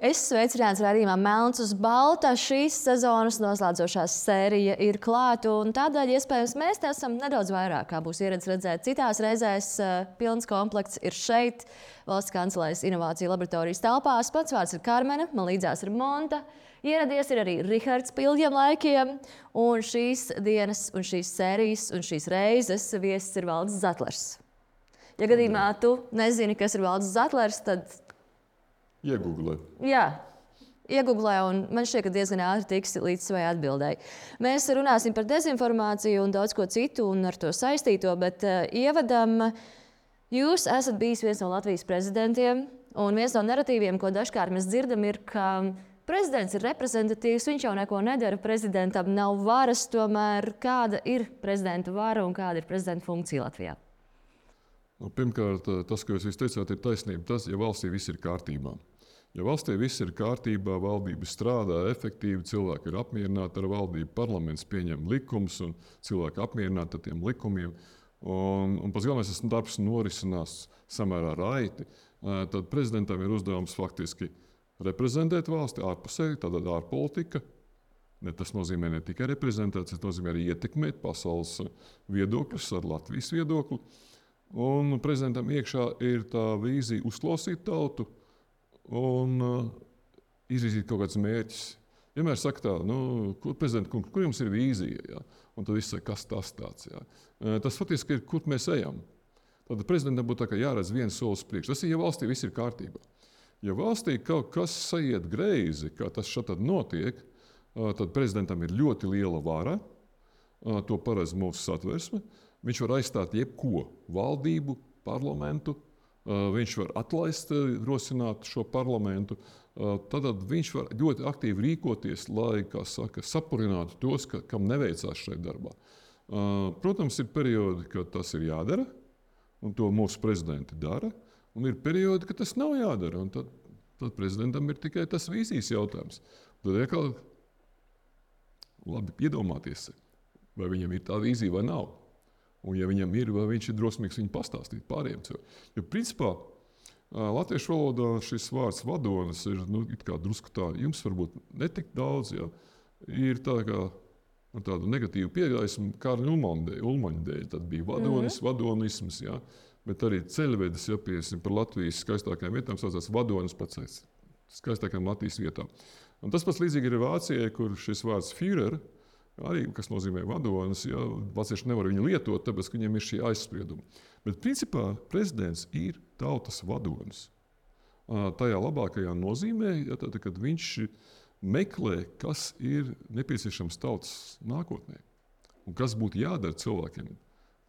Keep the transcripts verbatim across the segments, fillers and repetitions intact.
Es sveicināts raidījumā Melns uz balta. Šīs sezonas noslēdzošā sērija ir klāta, un tādēļ iespējams mēs te esam nedaudz vairāk, kā būs ieradis redzēt citās reizēs. Pilns komplekts ir šeit, Valsts kancelējas inovāciju laboratorijas telpās. Pats vārds ir Karmena, man līdzās ir Monta. Ieradies ir arī Rihards Pilģiem laikiem, un šīs dienas, un šīs sērijas, un šīs reizes viesis ir Valdis Zatlers. Ja gadījumā tu nezini, kas ir Valdis Zatlers, tad Iegooglē. Jā, iegooglē, un man šķiet, ka diezgan ātri tiks līdz savai atbildēji. Mēs runāsim par dezinformāciju un daudz ko citu un ar to saistīto, bet uh, ievadam, jūs esat bijis viens no Latvijas prezidentiem, un viens no narratīviem, ko dažkārt mēs dzirdam, ir, ka prezidents ir reprezentatīvs, viņš jau neko nedara, prezidentam nav varas, tomēr kāda ir prezidenta vara un kāda ir prezidenta funkcija Latvijā? Nu, pirmkārt, tas, ko jūs teicāt, ir taisnība. Tas, ja valstī viss ir kārtībā. Ja valstī viss ir kārtībā, valdība strādā efektīvi, cilvēki ir apmierināti ar valdību, parlaments pieņem likumus un cilvēki apmierināti ar tiem likumiem. Un, un pats galvenais, tas darbs norisinās samērā raiti. Tad prezidentam ir uzdevums faktiski reprezentēt valsti ārpusē, tātad ārpolitika. Ne, tas nozīmē ne tikai reprezentēt, tas nozīmē arī ietekmēt pasaules viedokļus ar Latvijas viedokli. Un prezidentam iekšā ir tā vīzija uzklausīt tautu un uh, izvirzīt kaut kādus mērķus. Vienmēr saka tā, nu, kur, kur, kur jums ir vīzija? Ja? Un tad viss saka, kas tas tāds? Ja? Tas faktiski ir, kur mēs ejam. Tad prezidentam būtu tā, ka jāredz viens solis priekš. Tas ir, ja valstī viss ir kārtībā. Ja valstī kaut kas saiet greizi, kā tas šeit notiek, tad prezidentam ir ļoti liela vara, to paredz mūsu satversme. Viņš var aizstāt jebko, valdību, parlamentu, viņš var atlaist, rosināt šo parlamentu. Tad viņš var ļoti aktīvi rīkoties, lai, kā saka, sapurinātu tos, ka, kam neveicās šajā darbā. Protams, ir periodi, kad tas ir jādara, un to mūsu prezidenti dara, un ir periodi, kad tas nav jādara, un tad, tad prezidentam ir tikai tas vīzijas jautājums. Tad ir labi iedomāties, vai viņam ir tā vīzija vai nav. Un, ja viņam ir, vai viņš ir drosmīgs viņu pastāstīt pārējiem cilvēkiem. Jo, principā, latviešu valodā šis vārds vadonis ir nu, drusku tā, jums varbūt netik daudz, ja, ir tā kā ar tādu negatīvu piegaismu Kārļa Ulmaņa dēļ. Tad bija vadonis, mm-hmm. vadonisms, ja, bet arī ceļvedis, ja piesim par Latvijas skaistākajām vietām, saucās vadonis pats skaistākajām Latvijas vietām. Un tas pats līdzīgi ir Vācijai, kur šis vārds Führer, arī, kas nozīmē vadonis, ja, vācieši nevar viņu lietot, tāpēc, ka viņiem ir šī aizsprieduma. Bet, principā, prezidents ir tautas vadonis. Tajā labākajā nozīmē, ja, tad, kad viņš meklē, kas ir nepieciešams tautas nākotnē. Un kas būtu jādara cilvēkiem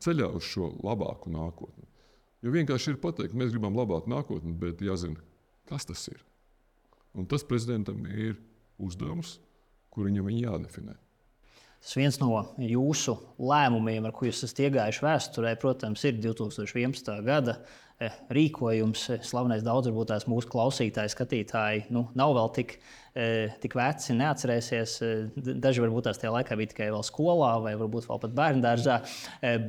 ceļā uz šo labāku nākotni. Jo vienkārši ir pateikt, mēs gribam labāku nākotni, bet jāzina, kas tas ir. Un tas prezidentam ir uzdevums, kur viņam viņi jādefinē. Tas viens no jūsu lēmumiem, ar ko jūs esat iegājuši vēsturē, protams, ir divi tūkstoši vienpadsmitā gada rīkojums. Slavenais daudz varbūt tās mūsu klausītāji, skatītāji nu, nav vēl tik, tik veci, neatcerēsies. Daži varbūt tās tajā laikā bija tikai vēl skolā vai varbūt vēl pat bērndārzā.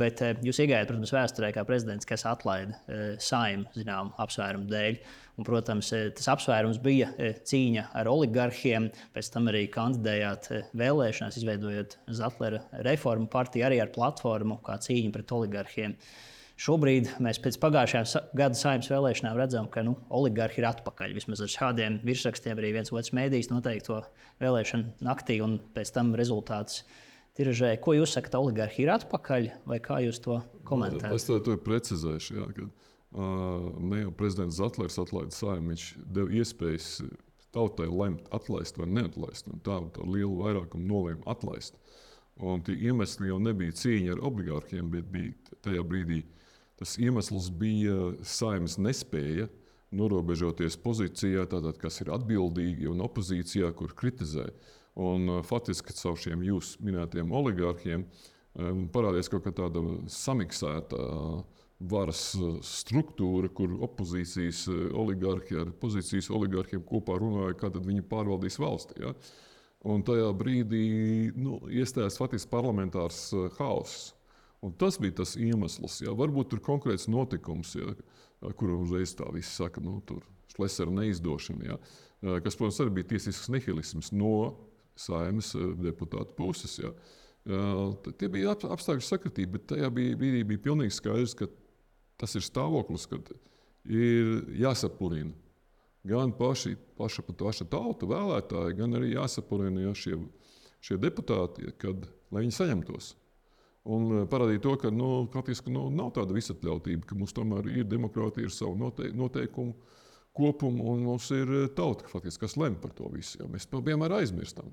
Bet jūs iegājāt, protams, vēsturē kā prezidents, kas atlaida Saeimu zinām apsvērumu dēļ. Un, protams, tas apsvērums bija cīņa ar oligarhiem. Pēc tam arī kandidējāt vēlēšanās, izveidojot Zatlera reformu partiju arī ar platformu kā cīņa pret oligarhiem. Šobrīd mēs pēc pagājušajām gada Saeimas vēlēšanām redzam, ka nu, oligarhi ir atpakaļ. Vismaz ar šādiem virsrakstiem arī viens otrs mēdījis noteikti to vēlēšanu naktī un pēc tam rezultātus tiražē. Ko jūs sakat, oligarhi ir atpakaļ vai kā jūs to komentējat? Es to, to precizēšu. Jā, kad, uh, ne jau prezidents Zatlers atlaida Saeimu, viņš deva iespējas tautai lemt atlaist vai neatlaist. Un tā, tā lielu vairākumu nolēma atlaist. Un tie iemesli jau nebija cīņa ar oligārhiem, bet bija tajā brīdī tas iemesls bija Saeimas nespēja norobežoties pozīcijā, tātad, kas ir atbildīgi un opozīcijā, kur kritizē. Un faktiski caur šiem jūs minētiem oligārhiem parādījās kaut kā tāda samiksēta varas struktūra, kur opozīcijas oligārhi ar pozīcijas oligārhiem kopā runāja, kā tad viņi pārvaldīs valsti. Ja? Un tajā brīdī nu, iestājās faktiski parlamentārs haoss. Un tas bija tas iemesls. Ja. Varbūt tur konkrēts notikums, ja, kuru uzreiz tā visi saka, nu, tur Šlesera neizdošana. Ja. kas, protams, arī bija tiesisks nihilisms no Saeimas deputātu puses. Ja. Tie bija apstākļu sakritība, bet tajā bija, brīdī bija pilnīgi skaidrs, ka tas ir stāvoklis, kad ir jāsapurina gan paši, paša, paša tauta vēlētāji, gan arī jāsapurina ja, šie, šie deputāti, kad, lai viņi saņemtos. Un parādīja to, ka nu, faktiski, nu, nav tāda visatļautība, ka mums tomēr ir demokrātija, ir savu note, noteikumu kopumu, un mums ir tauta, faktiski, kas lem par to visu. Ja. Mēs vienmēr aizmirstam.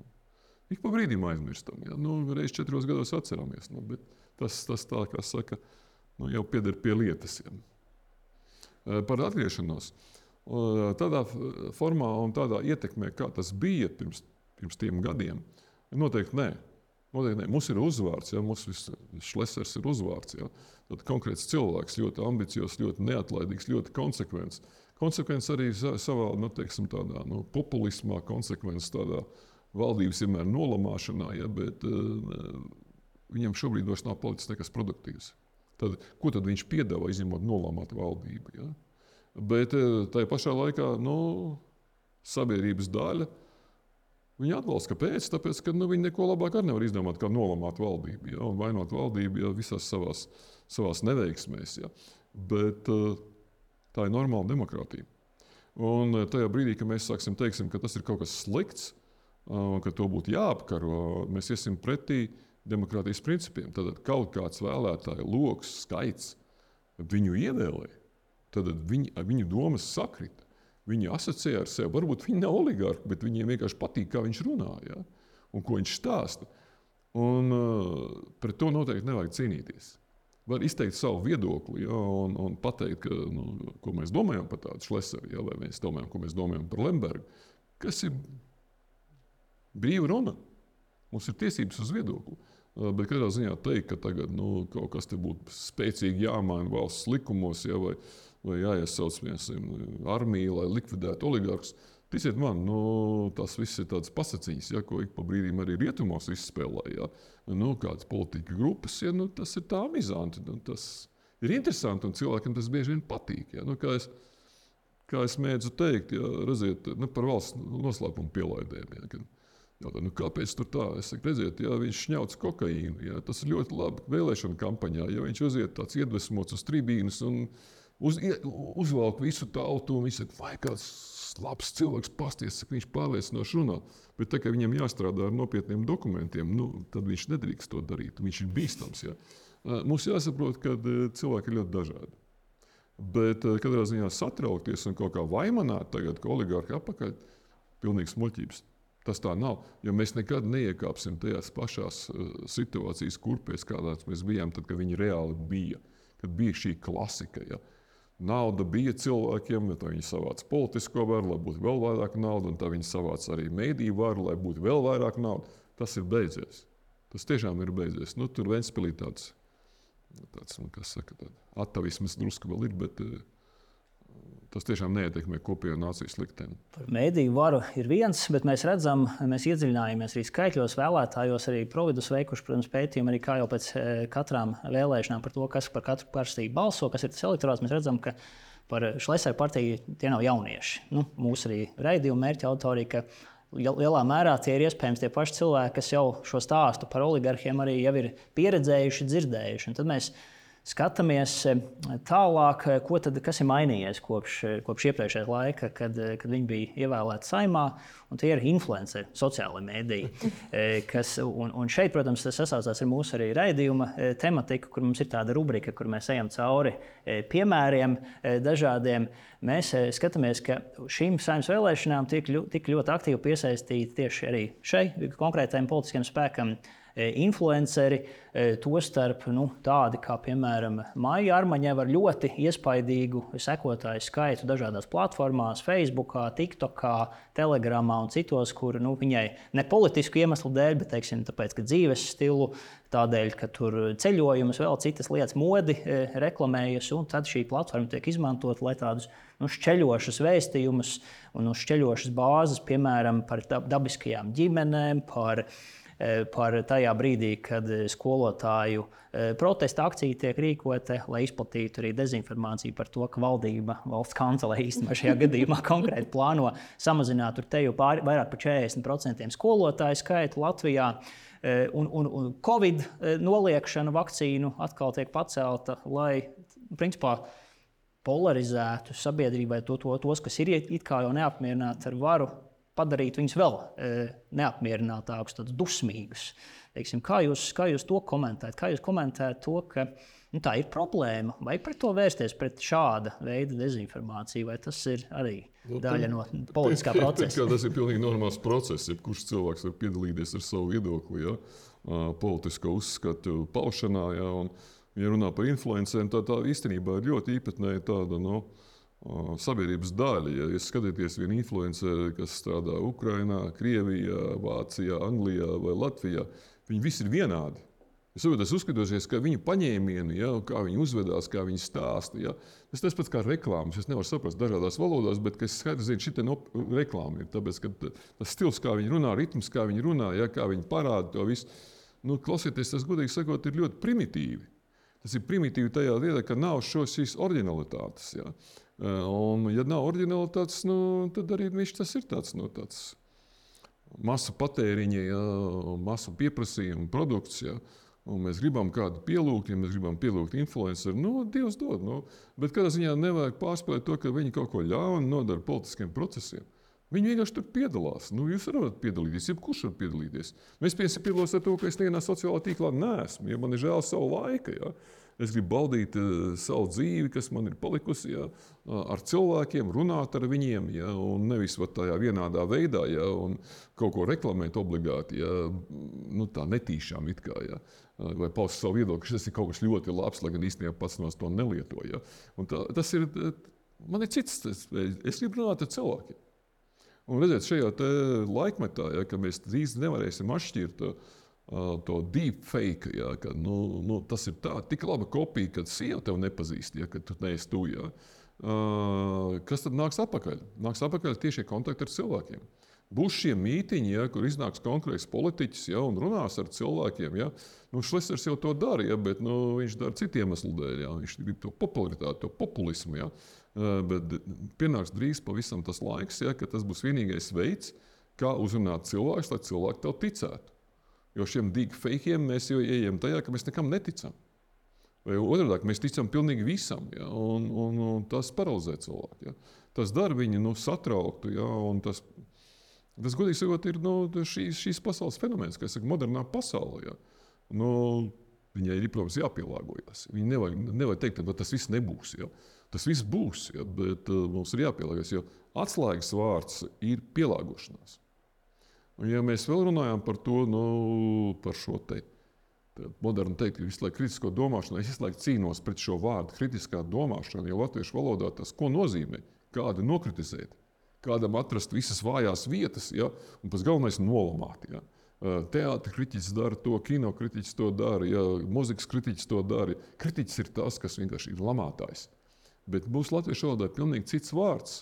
Ik pa brīdim aizmirstam. Ja. Nu, reiz četros gados atceramies, nu, bet tas, tas tā, kā saka, nu, jau pieder pie lietas. Ja. Par atgriešanos. Tādā formā un tādā ietekmē, kā tas bija pirms, pirms tiem gadiem, noteikti nē. Noteikti nē. Mums ir uzvārds, ja? Mums Šlesers ir uzvārds. Ja? Tad konkrēts cilvēks, ļoti ambiciozs, ļoti neatlaidīgs, ļoti konsekvents. Konsekvents arī savā, nu, teiksim, tādā, nu, populismā, konsekvents tādā valdības vienmēr nolamāšanā, ja? Bet uh, viņam šobrīd vairs nav palicis nekas produktīvs. Tad, ko tad viņš piedāvā, izņemot nolamāt valdību? Ja? Bet tajā pašā laikā nu, sabiedrības daļa viņa atbalsta. Kāpēc? Tāpēc, ka nu, viņi neko labāk arī nevar izdomāt, kā nolamāt valdību ja? Un vainot valdību ja? Visās savās, savās neveiksmēs. Ja? Bet tā ir normāla demokrātija. Un tajā brīdī, kad mēs sāksim teiksim, ka tas ir kaut kas slikts, ka to būtu jāapkaro, mēs iesim pretī demokrātijas principiem. Tad kaut kāds vēlētāju loks, skaits, viņu ievēlē. Tad viņi, viņu domas sakrita. Viņi asociē ar sevi. Varbūt viņi nav oligārki, bet viņiem vienkārši patīk, kā viņš runā ja? Un ko viņš stāsta. Un uh, pret to noteikti nevajag cīnīties. Var izteikt savu viedokli ja? un, un pateikt, ka, nu, ko mēs domājam par tādu Šleseru, ja? Vai mēs domājam, ko mēs domājam par Lembergu. Kas ir brīva runa? Mums ir tiesības uz viedokli. Uh, bet katrā ziņā teikt, ka tagad nu, kaut kas te būtu spēcīgi jāmaina valsts likumos, ja? vai vai jāiesauc armiju, lai likvidētu oligārkus. Ticiet man, nu, tas viss ir tāds pasaciņas, ja, ko ik pa brīdīm arī rietumos izspēlē. Ja. Nu, kādas politika grupas, ja, nu, tas ir tā amizanti. Nu, tas ir interesanti un cilvēkam tas bieži vien patīk. Ja. Nu, kā, es, kā es mēdzu teikt, ja, redziet, nu, par valsts noslēpumu pielaidēm. Ja, kad, jautā, nu, kāpēc tur tā? Es saku, redziet, ja viņš šņauc kokaīnu, ja, tas ir ļoti labi vēlēšana kampaņā. Ja viņš uziet tāds iedvesmots uz tribīnas un Uz, uzvalk visu tautu un viņš saka, vai kāds labs cilvēks pasties, ka viņš pārliecinoši runā. Bet tā kā viņam jāstrādā ar nopietniem dokumentiem, nu, tad viņš nedrīkst to darīt. Viņš ir bīstams. Ja. Mums jāsaprot, ka cilvēki ir ļoti dažādi. Bet katrā ziņā satraukties un kaut kā vaimanāt tagad, ka oligārki apakaļ, pilnīgs muļķības. Tas tā nav, jo mēs nekad neiekāpsim tajās pašās situācijas kurpēs, kādās mēs bijām, tad, kad viņi reāli bija. Kad bija šī klasika, ja. Nauda bija cilvēkiem, tad viņi savāca politisko varu, lai būtu vēl vairāk naudas, un tad viņi savāca arī mediju varu, lai būtu vēl vairāk naudas. Tas ir beidzies. Tas tiešām ir beidzies. Nu, tur Ventspilī tāds, tāds kas saka, atavisms drusku vēl ir, bet tas tiešām neietekmē kopējo nācijas likteni. Par mediju varu ir viens, bet mēs redzam, mēs iedziļinājāmies arī skaitļos, vēlētājos, arī Providus veikuši, protams, pētījumu arī kā jau pēc katrām vēlēšanām par to, kas par katru partiju balso, kas ir tas elektorāts. Mēs redzam, ka par Šleseru partiju tie nav jaunieši. Nu, mūsu arī raidījuma mērķa autori, ka lielā mērā tie ir iespējams tie paši cilvēki, kas jau šo stāstu par oligarhiem arī jau ir pieredzējuši, dzirdējuši. Un tad mēs skatāmies tālāk, ko tad, kas ir mainījies kopš, kopš iepriekšējā laika, kad, kad viņi bija ievēlēti Saeimā. Un tie ir influenceri, sociālai mēdīji. Kas, un, un šeit, protams, tas sasaucās ar mūsu arī raidījuma tematiku, kur mums ir tāda rubrika, kur mēs ejam cauri piemēriem dažādiem. Mēs skatāmies, ka šīm Saeimas vēlēšanām tik, tik ļoti aktīvi piesaistīti tieši arī šai konkrētajam politiskiem spēkam influenceri, tostarp nu, tādi kā, piemēram, Maija Armaņeva ar ļoti iespaidīgu sekotāju skaitu dažādās platformās, Facebookā, TikTokā, Telegramā un citos, kur nu, viņai ne politisku iemeslu dēļ, bet teiksim, tāpēc, ka dzīves stilu, tādēļ, ka tur ceļojumus, vēl citas lietas modi reklamējas, un tad šī platforma tiek izmantot, lai tādus nu, šķeļošus vēstījumus un nu, šķeļošas bāzes, piemēram, par dabiskajām ģimenēm, par par tajā brīdī, kad skolotāju protesta akcija tiek rīkota, lai izplatītu arī dezinformāciju par to, ka valdība, valsts kancele īstenībā šajā gadījumā konkrēti plāno samazināt tur te jau pār, vairāk par četrdesmit procentiem skolotāju skaitu Latvijā. Un, un, un Covid noliekšana vakcīnu atkal tiek pacelta, lai principā polarizētu sabiedrībai to, to, tos, kas ir it kā jau neapmierināti ar varu, padarīt viņus vēl neapmierinātākus, tādus dusmīgus. Teiksim, kā, jūs, kā jūs to komentējat? Kā jūs komentējat to, ka nu, tā ir problēma? Vai pret to vērsties pret šāda veida dezinformāciju? Vai tas ir arī daļa no politiskā procesa? Tas ir pilnīgi normāls process. Jebkurš cilvēks var piedalīties ar savu viedokli, ja? Politisko uzskatu paušanā. Ja? Un, ja runā par influenceriem, tā, tā īstenībā ir ļoti īpatnēja tāda no, sabiedrības daļa. Ja jūs skatāties vienu influenceri, kas strādā Ukrainā, Krievijā, Vācijā, Anglijā vai Latvijā, viņi visi ir vienādi. Es uzskatos, ka viņu paņēmieni, ja, kā viņi uzvedās, kā viņi stāsta, ja, tas tas pats kā reklāmas. Es nevaru saprast dažādās valodās, bet es skaidri zinu, šī no reklāma ir. Tāpēc, ka tas stils, kā viņi runā, ritms, kā viņi runā, ja, kā viņi parāda to visu, nu, klausieties, tas, godīgi sakot, ir ļoti primitīvi. Tas ir primitīvi tajā lietā, ka nav šo, šīs originalitātes. Ja. Un, ja nav originalitātes, nu, tad arī viņš tas ir tāds, nu, tāds masu patēriņa, ja, masu pieprasījuma produkts. Ja. Un mēs gribam kādu pielūgt, ja mēs gribam pielūgt influenceru, nu, Dievs dod. Nu, bet kādā ziņā nevajag pārspēlēt to, ka viņi kaut ko ļaunu nodara politiskiem procesiem. Viņi vienkārši tur piedalās. Nu, jūs varat piedalīties, jebkurš var piedalīties. Es piedalos ar to, ka es nevienā sociālā tīklā neesmu, ja man ir žēl savu laiku. Ja. Es gribu baudīt uh, savu dzīvi, kas man ir palikusi, ja, ar cilvēkiem, runāt ar viņiem, ja, un nevis vat, tajā vienādā veidā, ja, un kaut ko reklamēt obligāti, ja, nu, tā netīšām it kā, ja, vai paust savu viedokli, tas ir kaut kas ļoti labs, lai gan īstenībā pats no to nelieto. Ja. Un tā, tas ir, man ir cits, es, es gribu runāt ar cilvēkiem. Un redziet, šajā te laikmetā, ja, ka mēs drīz nevarēsim atšķirt to deepfake, ja, ka nu, nu, tas ir tā, tik laba kopija, ka sieva tev nepazīst, ja, ka tu neesi tu. Ja. Uh, kas tad nāks atpakaļ? Nāks atpakaļ tiešie kontakti ar cilvēkiem. Būs šie mītiņi, ja, kur iznāks konkrēts politiķis, ja, un runās ar cilvēkiem. Ja. Nu, Šlesers jau to dara, ja, bet nu, viņš dara citu iemeslu dēļ. Ja. Viņš grib to popularitāti, to populismu. Ja. Uh, bet pienāks drīz pavisam tas laiks, ja, ka tas būs vienīgais veids, kā uzrunāt cilvēkus, lai cilvēki tev ticētu. Jo šiem deepfakiem mēs jau ejam tajā, ka mēs nekam neticam. Vai otrādāk, mēs ticam pilnīgi visam, ja, un, un, un tas paralizē cilvēku. Ja. Tas dara viņu nu, satrauktu, ja, un tas, tas godīgi sakot, ir nu, šīs, šīs pasaules fenomens, kā es saku, modernā pasaulē. Ja. Nu, viņai ir, protams, jāpielāgojas. Viņi nevajag, nevajag teikt, ka tas viss nebūs. Ja. Tas viss būs, ja, bet uh, mums ir jāpielāgojas, jo atslēgas vārds ir pielāgošanās. Un, ja mēs vēl runājam par to, nu, par šo te modernu teikt, ka visu laiku kritisko domāšanu, es visu laiku cīnos pret šo vārdu kritiskā domāšana, jo latviešu valodā tas, ko nozīmē, kādu nokritizēt, kādam atrast visas vājās vietas, ja, un pats galvenais nolamāt. Ja. Teātra kritiķis dara to, kino kritiķis to dara, ja, muzikas kritiķis to dara. Kritiķis ir tas, kas vienkārši ir lamātājs. Bet mūsu latviešu valodā ir pilnīgi cits vārds,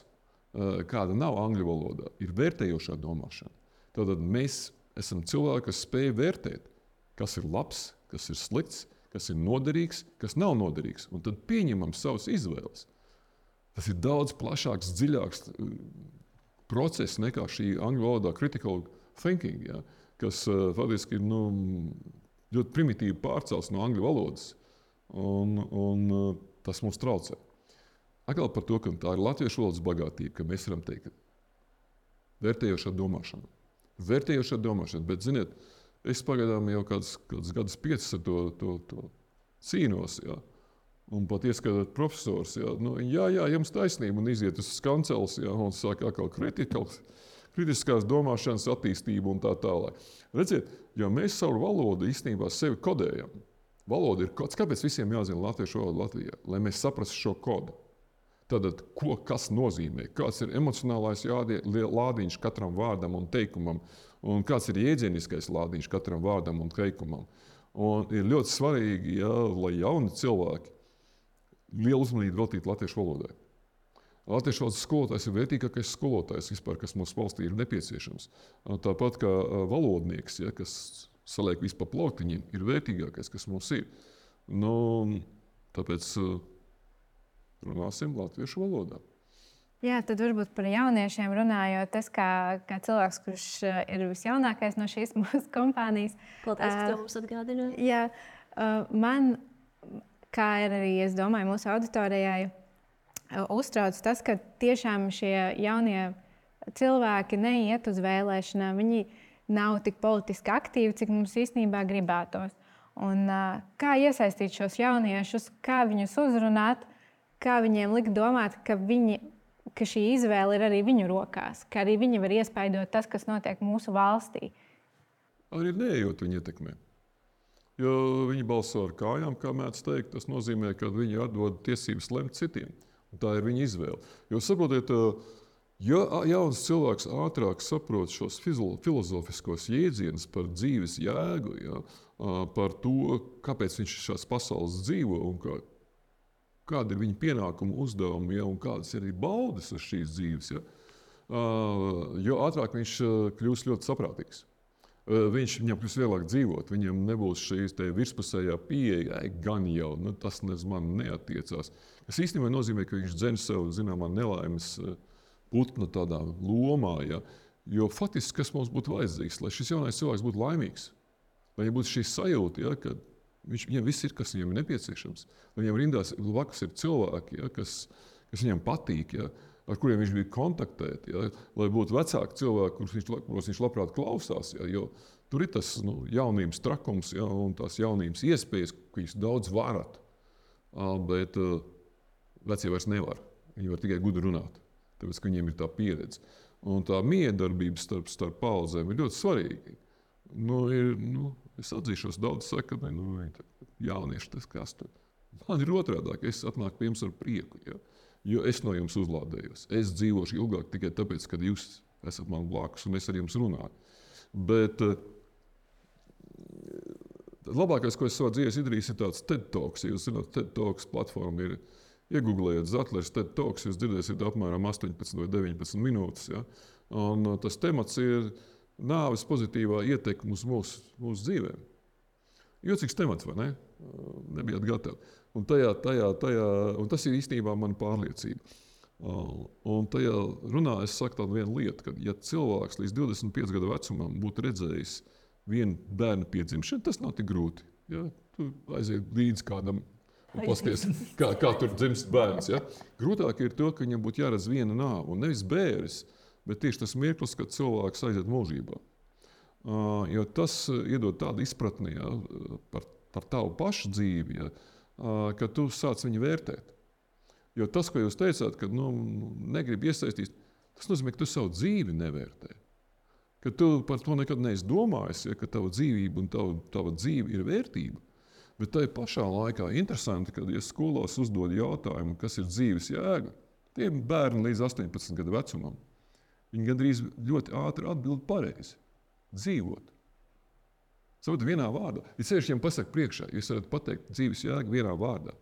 kāda nav angļu valodā, ir vērtējošā domāšana. Tātad mēs esam cilvēki, kas spēj vērtēt, kas ir labs, kas ir slikts, kas ir noderīgs, kas nav noderīgs. Un tad pieņemam savas izvēles. Tas ir daudz plašāks, dziļāks process nekā šī angļu valodā critical thinking, ja, kas uh, faktiski ir nu, ļoti primitīvi pārcels no angļu valodas. Un, un uh, tas mums traucē. Atkal par to, ka tā ir latviešu valodas bagātība, ka mēs varam teikt vērtējošā domāšana. Vērtējošā domāšana, bet, ziniet, es pagaidām jau kādus, kādus gadus piecus ar to, to, to cīnos, ja? Un pat ieskatāt profesors, ja? Nu, jā, jā, jums taisnība, un iziet uz kanceles, ja? Un sāk atkal kritikals, kritiskās domāšanas attīstību un tā tālāk. Redziet, ja mēs savu valodu īstenībā sevi kodējam, valoda ir kods, kāpēc visiem jāzina latviešu valodu Latvijā, lai mēs saprastu šo kodu. Tātad, ko kas nozīmē, kāds ir emocionālais jādie, lādiņš katram vārdam un teikumam, un kāds ir jēdzieniskais lādiņš katram vārdam un teikumam. Un ir ļoti svarīgi, ja, lai jauni cilvēki lielu uzmanību veltītu latviešu valodai. Latviešu valodas skolotājs ir vērtīgākais skolotājs vispār, kas mums valstī ir nepieciešams. Tāpat kā valodnieks, ja, kas saliek visu pa plauktiņiem, ir vērtīgākais, kas mums ir. Nu, tāpēc runāsim latviešu valodā. Jā, tad varbūt par jauniešiem runājot, es kā, kā cilvēks, kurš ir visjaunākais no šīs mūsu kompānijas. Paldies, ka to mums atgādināja. Jā, man, kā ir arī, es domāju, mūsu auditorijai, uztrauc tas, ka tiešām šie jaunie cilvēki neiet uz vēlēšanām. Viņi nav tik politiski aktīvi, cik mums īstenībā gribētos. Un, kā iesaistīt šos jauniešus, kā viņus uzrunāt, kā viņiem likt domāt, ka, viņi, ka šī izvēle ir arī viņu rokās, ka arī viņi var iespaidot tas, kas notiek mūsu valstī. Arī neejot viņi ietekmē. Jo viņi balso ar kājām, kā mēdz teikt, tas nozīmē, ka viņi atdod tiesības lemt citiem. Un tā ir viņa izvēle. Jo saprotiet, ja jauns cilvēks ātrāk saprot šos filozofiskos jēdzienus par dzīves jēgu, ja, par to, kāpēc viņš šās pasaules dzīvo un kā, kāda ir viņa pienākuma uzdevumi, ja, un kādas ir arī baudas uz šīs dzīves, ja, jo ātrāk viņš kļūs ļoti saprātīgs. Viņš, viņam kļūs vieglāk dzīvot, viņam nebūs šīs virspusējā pieeja, gan jau, nu, tas uz mani neatiecās. Tas īstenībā nozīmē, ka viņš dzen sev zināmā nelaimes putna tādā lomā, ja? Jo faktiski, kas mums būtu vajadzīgs, lai šis jaunais cilvēks būtu laimīgs, lai viņam būtu šī sajūta, ja, ka viņš, viņam viss ir, kas viņam ir nepieciešams, lai viņam rindās blakus ir cilvēki, ja, kas, kas viņam patīk, ja, ar kuriem viņš bija kontaktēt, ja, lai būtu vecāki cilvēki, kurus viņš, kurus viņš labprāt klausās, ja, jo tur ir tas nu, jaunības trakums, ja, un tās jaunības iespējas, ka jūs daudz varat, bet uh, vecie vairs nevar. Viņi var tikai gudri runāt, tāpēc, ka viņiem ir tā pieredze. Un tā miedarbība starp, starp paudzēm ir ļoti svarīga. Nu, ir, nu, es atzīšos, daudz saka, ka nu, jaunieši tas kas tur. Man ir otrādāk, es atnāku pie jums ar prieku. Ja. Jo es no jums uzlādējos. Es dzīvošu ilgāk tikai tāpēc, ka jūs esat man blakus un es ar jums runāju. Bet uh, labākais, ko es savā dzīvē izdarīju, ir tāds TED Talks. Ja jūs zināt, TED Talks platforma ir iegooglējot Zatlers TED Talks, jūs dzirdēsiet apmēram astoņpadsmit vai deviņpadsmit minūtes. Ja? Un uh, tas temats ir nāves pozitīvā ietekme uz mūsu, mūsu dzīvēm. Jocīgs temats, vai ne? Uh, nebijāt gatavi. Un, tajā, tajā, tajā, un tas ir īstenībā mana pārliecība. Uh, un tajā runā es saku tādu vienu lietu, ka ja cilvēks līdz divdesmit piecu gadu vecumam būtu redzējis vienu bērnu piedzimšanu, tas nav tik grūti. Ja? Tu aiziet līdz kādam un pasties, kā, kā tur dzimst bērns. Ja? Grūtāk ir to, ka viņam būtu jāredz viena nāve. Un nevis bēris, bet tieši tas mirklis, kad cilvēks aiziet mūžībā. Uh, jo tas iedod tādu izpratni, ja, par, par tavu pašu dzīvi, ja, uh, ka tu sāc viņu vērtēt. Jo tas, ko jūs teicāt, ka nu, negribi iesaistīt, tas nozīmē, ka tu savu dzīvi nevērtē. Ka tu par to nekad neesi domājis, ja, ka tava dzīvība un tava, tava dzīve ir vērtība. Bet tai pašā laikā interesanti, kad ja skolās uzdod jautājumu, kas ir dzīves jēga, tie bērni līdz astoņpadsmit gadu vecumam, viņi gandrīz ļoti ātri atbild pareizi. Dzīvot. Savukārt vienā vārdā. Ja sevišķi viņiem pasaka priekšā, jūs varat pateikt dzīves jēgu vienā vārdā.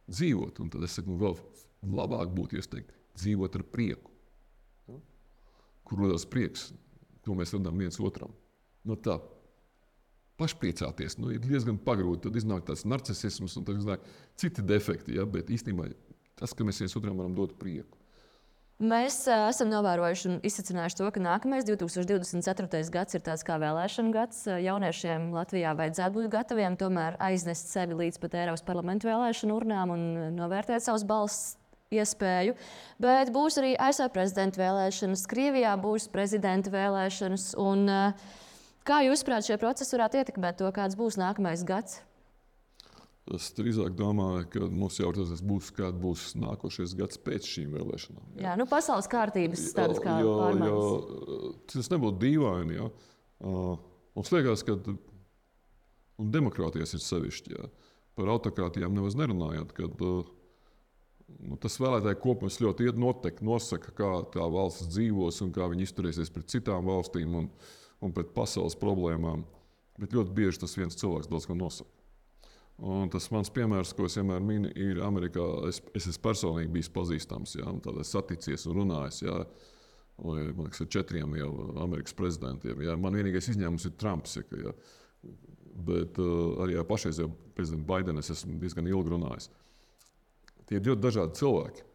Dzīvot. Un tad es saku, nu, vēl labāk būtu, ja es teiktu, dzīvot ar prieku. Ja? Kur rodās prieks, to mēs radām viens otram. No tā pašpriecāties, nu, ir diezgan pagrūti. Tad iznāk tāds narcisisms un tad iznāk citi defekti. Ja? Bet īstenībā tas, ka mēs viens otram varam dot prieku. Mēs uh, esam novērojuši un izsacinājuši to, ka nākamais divs tūkstoš divdesmit ceturtais gads ir tāds kā vēlēšana gads. Jauniešiem Latvijā vajadzētu būt gataviem tomēr aiznest sevi līdz pat Eiropas parlamentu vēlēšanu urnām un novērtēt savus balss iespēju. Bet būs arī A S V prezidenta vēlēšanas, Krievijā būs prezidenta vēlēšanas. Un, uh, kā jūs prāt, šie procesi varētu ietekmēt to, kāds būs nākamais gads? Es drīzāk domāju, ka mums jau tas būs, kāds būs nākošais gads pēc šīm vēlēšanām. Jā, jā nu pasaules kārtības tādas kā jo, pārmaiņas. Jo, tas nebūtu dīvaini. Ja? Uh, mums liekas, ka un demokrātijas ir sevišķi. Ja? Par autokrātijām nemaz nerunājot, kad uh, nu, tas vēlētāju kopums ļoti notek, nosaka, kā tā valsts dzīvos un kā viņi izturēsies pret citām valstīm un, un pret pasaules problēmām. Bet ļoti bieži tas viens cilvēks daudz ko nosaka. Un tas mans piemērs, ko es vienmēr minu, ir Amerikā. Es, es esmu personīgi bijis pazīstams, ja, tādā saticies un runājis. Ja, vai, man liekas, ar četriem jau Amerikas prezidentiem. Ja. Man vienīgais izņēmums ir Trumps. Ja, ja. Bet uh, arī ar pašreizējo prezidentu Baidenu es esmu diezgan ilgi runājis. Tie ir ļoti dažādi cilvēki.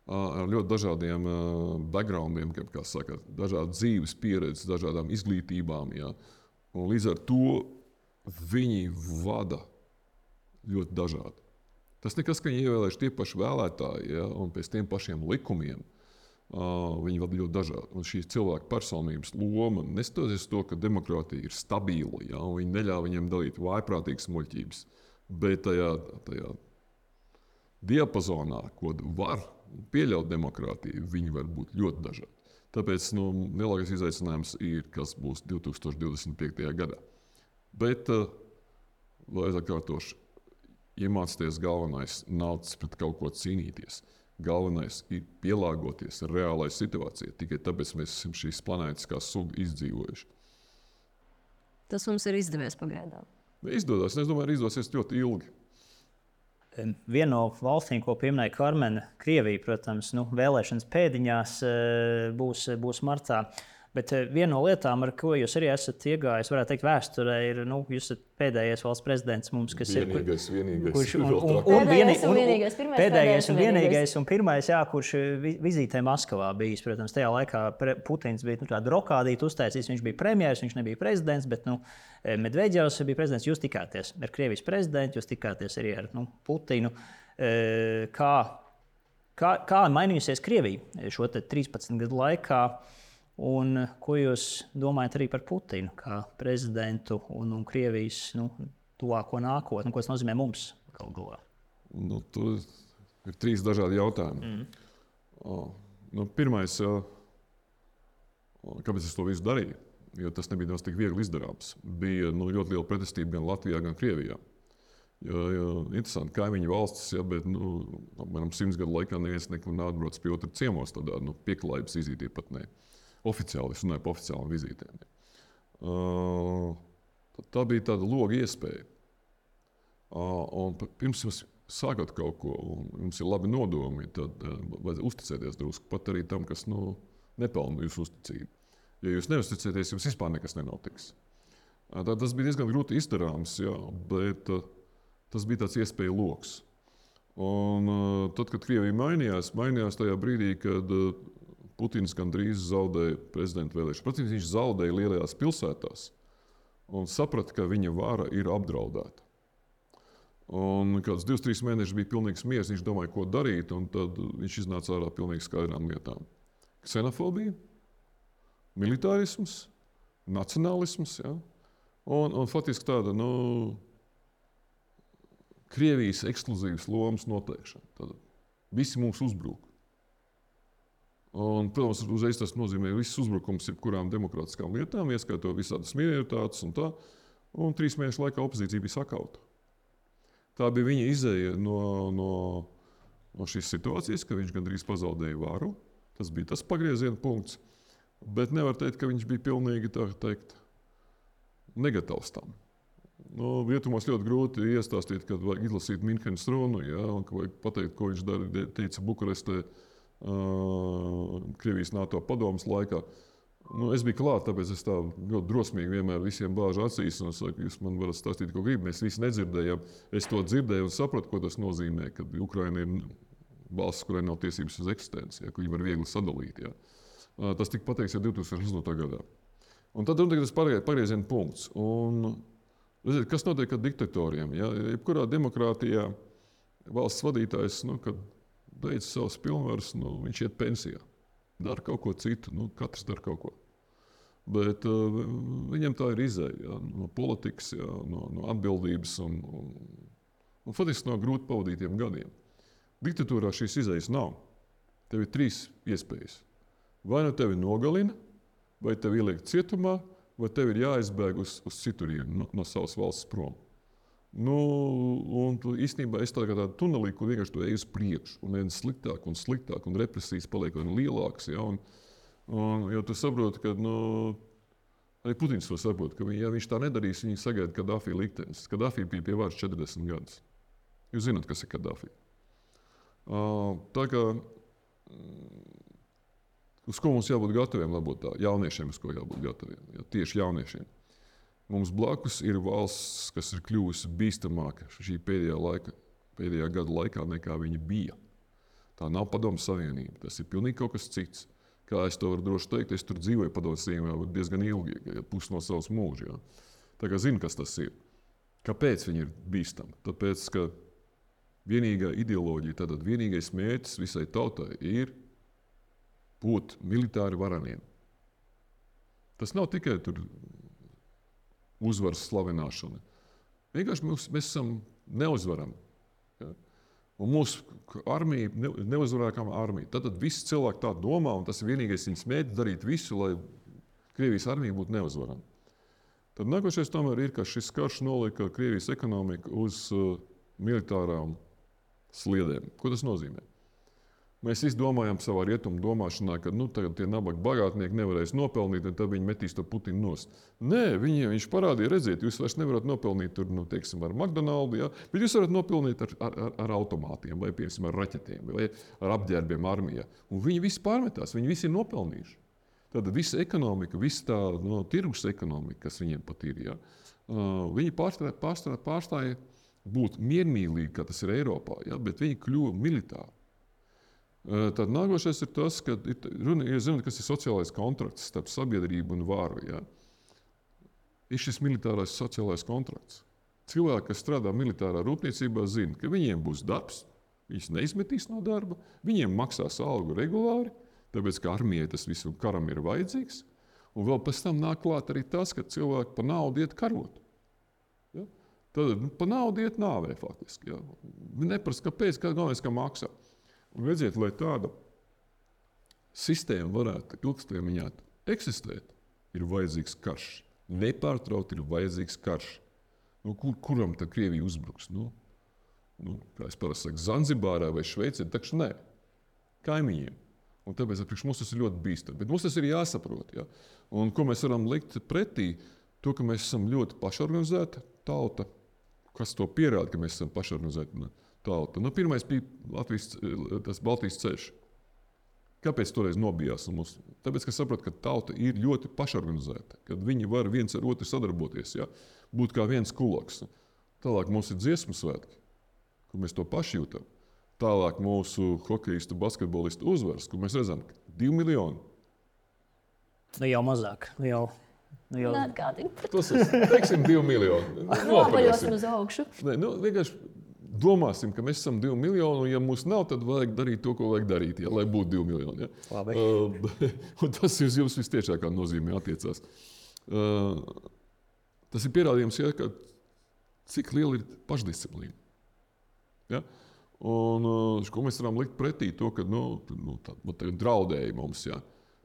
Uh, ar ļoti dažādiem uh, backgroundiem, kā saka, dažādas dzīves pieredzes, dažādām izglītībām. Ja. Un līdz ar to viņi vada ļoti dažādi. Tas nekas, ka viņi ievēlējuši tie paši vēlētāji, ja, un pēc tiem pašiem likumiem. Uh, viņi vada ļoti dažādi. Un šīs cilvēku personības loma, neskatoties to, ka demokrātija ir stabila, ja, un viņi neļauj viņiem dalīt vājprātīgas muļķības, bet tajā, tajā diapazonā, ko var pieļaut demokrātija, viņi var būt ļoti dažādi. Tāpēc nu, lielākais izaicinājums ir, kas būs divtūkstoš divdesmit piektajā gadā. Bet, uh, lai atkārtošu, iemācīties galvenais nav pret kaut ko cīnīties. Galvenais ir pielāgoties reālai situācijai. Tikai tāpēc mēs esam šīs planētas kā suga izdzīvojuši. Tas mums ir izdevies pagaidām. Izdodas. Es domāju, izdosies ļoti ilgi. Viena no valstīm, ko pieminēja Karmena, Krievija, protams, nu, vēlēšanas pēdiņās būs, būs martā. Bet viena no lietām, ar ko jūs arī esat iegājis, varētu teikt, vēsturē, ir, nu, jūs esat pēdējais valsts prezidents mums, kas vienīgais, ir. Vienīgais, kurš, un, un, un, un, vienīgais, un vienīgais, pirmais, pēdējais un vienīgais, un pirmais, jā, kurš vizītē Maskavā bijis. Protams, tajā laikā Putins bija nu, tādu rokādītu uztaisījis, viņš bija premjers, viņš nebija prezidents, bet nu, Medvedjevs bija prezidents. Jūs tikāties ar Krievijas prezidentu, jūs tikāties arī ar nu, Putinu. Kā, kā, kā mainījusies Krievija šo trīspadsmit gadu laikā? Un ko jūs domājat arī par Putinu kā prezidentu un, un Krievijas nu, tuvāko nākotni? Ko tas nozīmē mums galu galā? Nu, tur ir trīs dažādi jautājumi. Mm. O, nu, pirmais, kāpēc es to visu darīju? Jo tas nebija tik viegli izdarāms. Bija nu, ļoti liela pretestība gan Latvijā, gan Krievijā. Jo, jo, interesanti, kaimiņu valstis, ja, bet nu, manam simts gadu laikā neviens nekur nav atbraucis pie otra ciemos, tādā nu, pieklājības vizītī pat ne. Oficiāli, es runāju par oficiālām vizītēm. Uh, tā bija tāda loga iespēja. Uh, un pirms jūs sākat kaut ko, un jums ir labi nodomi, tad uh, vajag uzticēties drusku pat arī tam, kas nu, nepelna jūsu uzticību. Ja jūs neuzticēties, jums vispār nekas nenotiks. Uh, tā, tas bija diezgan grūti izdarāms, jā, bet uh, tas bija tāds iespēja loks. Un uh, tad, kad Krievija mainījās, mainījās tajā brīdī, kad uh, Putins gandrīz zaudēja prezidenta vēlēšanas. Protams, viņš zaudēja lielajās pilsētās un saprata, ka viņa vara ir apdraudēta. Un kāds divus, trīs mēnešus bija pilnīgs miers, viņš domāja, ko darīt, un tad viņš iznāca ārā pilnīgi skaidrām lietām. Ksenofobija, militārisms, nacionālisms, ja? un, un faktiski tāda, nu, Krievijas ekskluzīvas lomas noteikšana. Tad visi mums uzbruk. Un, protams, uzreiz tas nozīmē visus uzbrukums jebkurām demokrātiskām lietām, ieskaitot visādas minoritātes un tā. Un trīs mēnešu laikā opozīcija bija sakauta. Tā bija viņa izēja no, no, no šīs situācijas, ka viņš gandrīz pazaudēja varu. Tas bija tas pagrieziena punkts. Bet nevar teikt, ka viņš bija pilnīgi tā teikt negatīvs tam. Nu, Rietumos ļoti grūti iestāstīt, kad vajag izlasīt Minhenes runu, ja, un ka vajag pateikt, ko viņš dara, teica Bukarestē. Uh, Krievijas NATO padomes laikā. Nu, es biju klāt, tāpēc es tā ļoti drosmīgi vienmēr visiem bāžu acīs. Un es saku, jūs man varat stāstīt, ko gribat. Mēs visi nedzirdējām. Es to dzirdēju un sapratu, ko tas nozīmē, kad Ukraina ir valsts, kurai nav tiesības uz eksistenci, ja, ka viņi var viegli sadalīt. Ja. Uh, tas tika pateikts jau divtūkstoš astotajā gadā. Un tad ir tas pagrieziena punkts. Un, redziet, kas notiek ar diktatoriem? Ja? Jebkurā demokrātijā valsts vadītājs, nu, kad beidz savas pilnvaras, nu, viņš iet pensijā. Dara kaut ko citu, nu, katrs dara kaut ko. Bet uh, viņam tā ir izēja, ja, no politikas, ja, no, no atbildības un, un, un faktiski no grūti pavadītiem gadiem. Diktatūrā šīs izējas nav. Tev ir trīs iespējas. Vai nu tevi nogalina, vai tevi ieliek cietumā, vai tev ir jāizbēg uz, uz citurienu no, no savas valsts prom. Nu, un īstenībā es tādā tunelī, kur vienkārši to eju uz priekšu, un vien sliktāk un sliktāk, un represijas paliek vien lielākas. Ja, un, un, jo tu saproti, ka nu, Arī Putins to saprot, ka viņi, ja viņš tā nedarīs, viņi sagaida Kadafī liktenis. Kadafī bija pie varas četrdesmit gadus. Jūs zināt, kas ir Kadafī. Uh, tā kā, uz ko mums jābūt gataviem, labot tā, jauniešiem, uz ko jābūt gataviem, ja, tieši jauniešiem. Mums blakus ir valsts, kas ir kļuvusi bīstamāka šī pēdējā, laika, pēdējā gada laikā, nekā viņa bija. Tā nav Padomju Savienība, tas ir pilnīgi kaut kas cits. Kā es to varu droši teikt, es tur dzīvoju Padomju Savienībā diezgan ilgi, ja, pusi no savas mūža. Ja. Tā kā zinu, kas tas ir. Kāpēc viņi ir bīstami? Tāpēc, ka vienīgā ideoloģija, tātad vienīgais mērķis visai tautai ir būt militāri varaniem. Tas nav tikai tur uzvaras slavināšana. Vienkārši mēs, mēs esam neuzvarami. Ja? Un mūsu armija ne, neuzvarākama armija. Tad visi cilvēki tā domā, un tas ir vienīgais viņas mērķis darīt visu, lai Krievijas armija būtu neuzvarama. Tad nākošais tomēr ir, ka šis karš nolika Krievijas ekonomiku uz uh, militārām sliedēm. Ko tas nozīmē? Mēs visi domājam savā rietumu domāšanā, ka nu, tagad tie nabaga bagātnieki nevarēs nopelnīt, un tad viņi metīs to Putinu nost. Nē, viņi, viņš parādīja, redziet, jūs vairs nevarat nopelnīt tur, nu, teiksim, ar McDonaldu, ja? Bet jūs varat nopelnīt ar, ar, ar automātiem, vai, piemēram, ar raķetiem, vai ar apģērbiem armijā. Un viņi visi pārmetās, viņi visi ir nopelnījuši. Tad visa ekonomika, visa tā no, tirgus ekonomika, kas viņiem pat ir, ja? uh, viņi pārstāja, pārstāja, pārstāja būt miermīlīgi, kā tas ir Eiropā, ja? Bet viņi kļuva militāri. Tad nākošais ir tas, ka runa ir, zināt, kas ir sociālais kontrakts starp sabiedrību un varu. Ja? Ir šis militārais sociālais kontrakts. Cilvēki, kas strādā militārā rūpniecībā, zina, ka viņiem būs darbs, viņus neizmetīs no darba, viņiem maksās algu regulāri, tāpēc, ka armijai tas visam karam ir vajadzīgs. Un vēl pēc tam nāk klāt arī tas, ka cilvēki pa naudu iet karot. Ja? Tad nu, pa naudu iet nāvē faktiski. Ja? Neprast, kāpēc, kā galvenais, ka maksā. Un redziet, lai tāda sistēma varētu ilgstermiņā eksistēt, ir vajadzīgs karš. Nepārtraukti ir vajadzīgs karš. Nu, kur, kuram tad Krievija uzbruks? Nu, nu, kā es parasti saku, Zanzibārā vai Šveicē, taču nē, kaimiņiem. Un tāpēc priekš mums tas ir ļoti bīstami. Bet mums tas ir jāsaprot. Ja? Un ko mēs varam likt pretī, to, ka mēs esam ļoti pašorganizēta tauta, kas to pierāda, ka mēs esam pašorganizēta tauta. Nu, pirmais bija Latvijas, tas Baltijas ceļš. Kāpēc toreiz nobijās? Mums? Tāpēc, ka saprot, ka tauta ir ļoti pašorganizēta, kad viņi var viens ar otru sadarboties, ja? Būt kā viens kuloks. Tālāk mums ir dziesmu svētki, kur mēs to paši jūtam. Tālāk mūsu hokejistu, basketbolistu uzvaras, kur mēs redzam, ka divi miljoni. Nu jau mazāk. Nu jau, nu jau... Tas ir, teiksim, divi miljoni. Nopaļosim uz augšu. Ne, nu, vienkārši domāsim, ka mēs esam divi miljoni, un ja mums nav, tad vajag darīt to, ko vajag darīt, ja, lai būtu divi miljoni. Ja. Labi. Uh, un tas uz jums vistiešākā nozīmē attiecās. Uh, tas ir pierādījums, ja, ka cik liela ir pašdisciplīna. Ja. Un uh, ko mēs varam likt pretī to, ka nu, nu, tā, tā draudēja mums. Ja.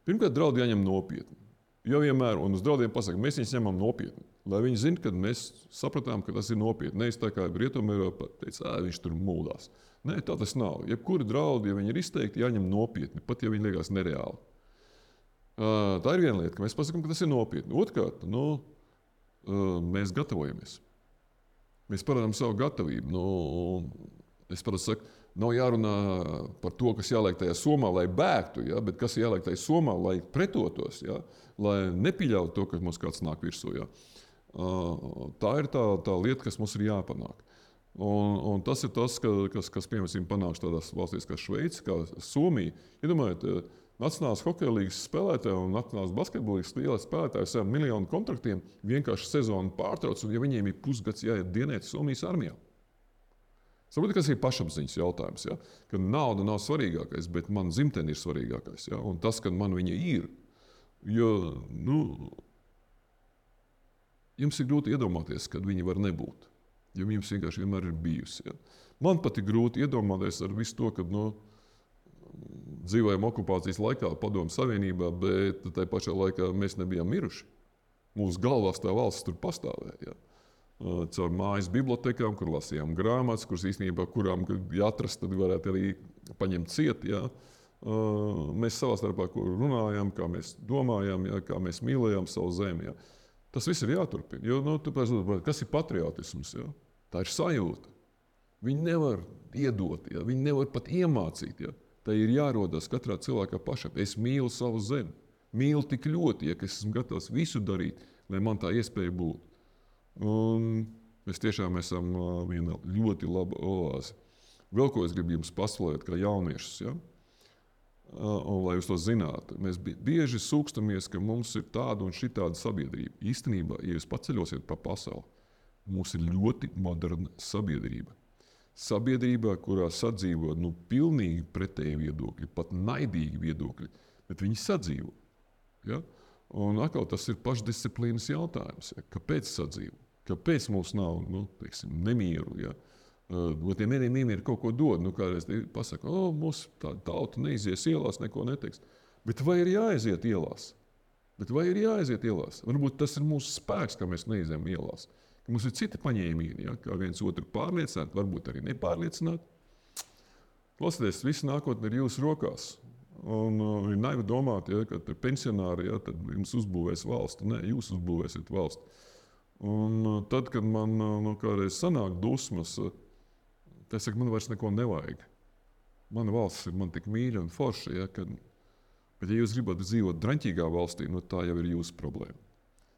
Pirmkārt, draudi jāņem nopietni. Jo vienmēr, un uz draudiem pasaka, mēs viņus ņemam nopietni. Lai viņi zina, ka mēs sapratām, ka tas ir nopietni. Nevis tā kā Rietumeiropā teica, ā, viņš tur mūdās. Nē, tā tas nav. Jebkuri draudi, ja viņi ir izteikti, jāņem nopietni, pat ja viņi liekas nereāli. Uh, tā ir viena lieta, ka mēs pasakām, ka tas ir nopietni. Otrkārt, nu, uh, mēs gatavojamies. Mēs parādām savu gatavību. Nu, es parasti saku, nav jārunā par to, kas jāliek tajā somā, lai bēgtu, ja, bet kas jāliek tajā somā, lai pretotos, ja, lai nepieļautu to, ka mums kāds nāk virsū. Ja. Uh, tā ir tā, tā lieta, kas mums ir jāpanāk. Un, un tas ir tas, ka, kas, kas piemēram, panāks tādās valstīs kā Šveice, kā Somija. Iedomājiet, nacionālās hokeja līgas spēlētāji un nacionālās basketbolīgas lielas spēlētāji saviem miljonu kontraktiem vienkārši sezonu pārtrauc, un ja viņiem ir pusgads jāiet dienēt Somijas armijā. Saprotiet, kas ir pašapziņas jautājums, ja? Ka nauda nav svarīgākais, bet man dzimtene ir svarīgākais. Ja? Un tas, ka man viņa ir, jo nu, jums ir grūti iedomāties, kad viņa var nebūt. Jo jums vienkārši vienmēr ir bijusi. Ja? Man pat ir grūti iedomāties ar visu to, ka nu, dzīvojam okupācijas laikā Padomju Savienībā, bet tajā pašā laikā mēs nebijām miruši. Mūsu galvās tā valsts tur pastāvēja. Ja? Caur mājas bibliotekām, kur lasījām grāmatas, kuras īstenībā, kurām jāatrast, tad varētu arī paņemt ciet. Ja? Uh, mēs savā starpā runājam, kā mēs domājam, ja, kā mēs mīlējam savu zemi. Ja. Tas viss ir jāturpina. Jo, nu, tāpēc, kas ir patriotisms? Ja? Tā ir sajūta. Viņi nevar iedot, ja? Viņi nevar pat iemācīt. Ja? Tā ir jārodas katrā cilvēkā pašam. Es mīlu savu zemi. Mīlu tik ļoti, ja, ka es esmu gatavs visu darīt, lai man tā iespēja būtu. Un mēs tiešām esam viena ļoti laba oāze. Vēl ko es gribu jums paslēgt, kā jauniešus. Ja? Un, lai jūs to zinātu, mēs bieži sūkstamies, ka mums ir tāda un šitāda sabiedrība. Īstenībā, ja jūs paceļosiet pa pasauli, mums ir ļoti moderna sabiedrība. Sabiedrībā, kurā sadzīvo nu, pilnīgi pretēji viedokļi, pat naidīgi viedokļi, bet viņi sadzīvo. Ja? Un atkal tas ir pašdisciplīnas jautājums. Ja? Kāpēc sadzīvo? Kāpēc mums nav nu, teiksim, nemieru? Ja? Uh, tie nemieru kaut ko dod. Nu, kādreiz pasaka, o, mūsu tā, tauta neizies ielās, neko neteiks. Bet vai ir jāaiziet ielās? Bet vai ir jāaiziet ielās? Varbūt tas ir mūsu spēks, ka mēs neizējam ielās. Ka mums ir citi paņēmieni, ja? Kā viens otru pārliecināt, varbūt arī nepārliecināt. Klausieties, viss nākotne ir jūsu rokās. Un uh, ir naivi domāt, ja, ka pensionāri ja, tad jums uzbūvēs valsti. Nē, jūs uzbūvēsiet valsti. Un uh, tad, kad man uh, nu, kādreiz sanāk dusmas, uh, es saku, man vairs neko nevajag. Mana valsts ir man tik mīļa un forša, ja, kad... bet ja jūs gribat dzīvot draņķīgā valstī, nu, tā jau ir jūsu problēma.